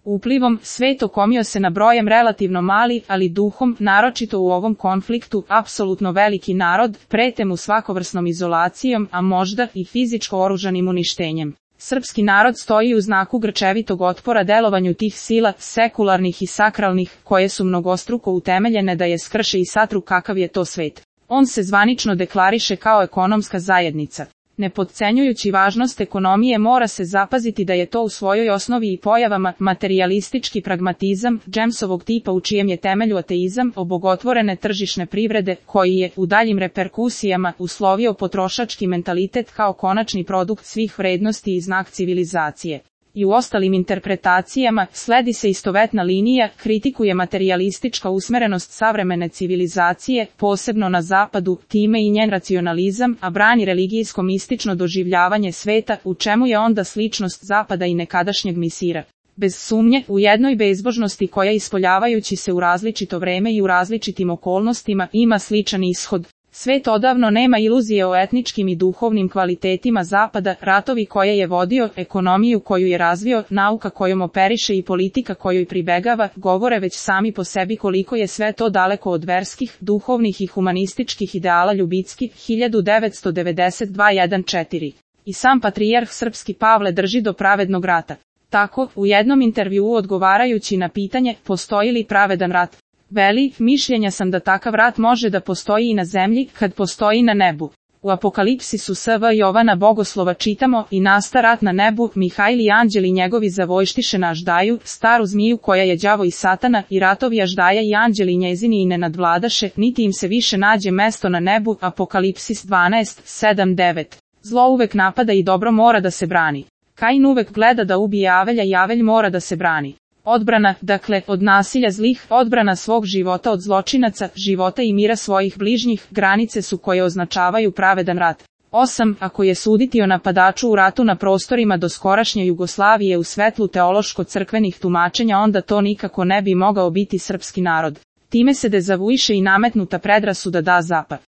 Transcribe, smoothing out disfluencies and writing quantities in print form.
Uplivom, svet okomio se na brojem relativno mali, ali duhom, naročito u ovom konfliktu, apsolutno veliki narod, prete mu svakovrsnom izolacijom, a možda i fizičko oružanim uništenjem. Srpski narod stoji u znaku grčevitog otpora delovanju tih sila, sekularnih i sakralnih, koje su mnogostruko utemeljene da je skrše i satru kakav je to svet. On se zvanično deklariše kao ekonomska zajednica. Ne potcenjujući važnost ekonomije, mora se zapaziti da je to u svojoj osnovi i pojavama materijalistički pragmatizam, Jamesovog tipa u čijem je temelju ateizam, obogotvorene tržišne privrede, koji je, u daljim reperkusijama, uslovio potrošački mentalitet kao konačni produkt svih vrednosti i znak civilizacije. I u ostalim interpretacijama, sledi se istovetna linija, kritikuje materijalistička usmerenost savremene civilizacije, posebno na zapadu, time i njen racionalizam, a brani religijsko-mistično doživljavanje sveta, u čemu je onda sličnost zapada i nekadašnjeg misira. Bez sumnje, u jednoj bezbožnosti koja ispoljavajući se u različito vreme i u različitim okolnostima, ima sličan ishod. Svet odavno nema iluzije o etničkim i duhovnim kvalitetima zapada, ratovi koje je vodio, ekonomiju koju je razvio, nauka kojom operiše i politika kojoj pribegava, govore već sami po sebi koliko je sve to daleko od verskih, duhovnih i humanističkih ideala Ljubicki, 1992-14. I sam patrijarh srpski Pavle drži do pravednog rata. Tako, u jednom intervjuu odgovarajući na pitanje, postoji li pravedan rat, veli, mišljenja sam da takav rat može da postoji i na zemlji, kad postoji na nebu. U Apokalipsisu S.V. Jovana Bogoslova čitamo, i nasta rat na nebu, Mihajl i anđeli njegovi zavojštiše na Aždaju, staru zmiju koja je đavo i satana, i ratovi Aždaja i anđeli njezini i ne nadvladaše, niti im se više nađe mesto na nebu, Apokalipsis 12:7-9. Zlo uvek napada i dobro mora da se brani. Kain uvek gleda da ubije Avelja i Avelj mora da se brani. Odbrana, dakle, od nasilja zlih, odbrana svog života od zločinaca, života i mira svojih bližnjih, granice su koje označavaju pravedan rat. 8. Ako je suditi o napadaču u ratu na prostorima doskorašnje Jugoslavije u svetlu teološko-crkvenih tumačenja, onda to nikako ne bi mogao biti srpski narod. Time se dezavuiše i nametnuta predrasuda da Zapad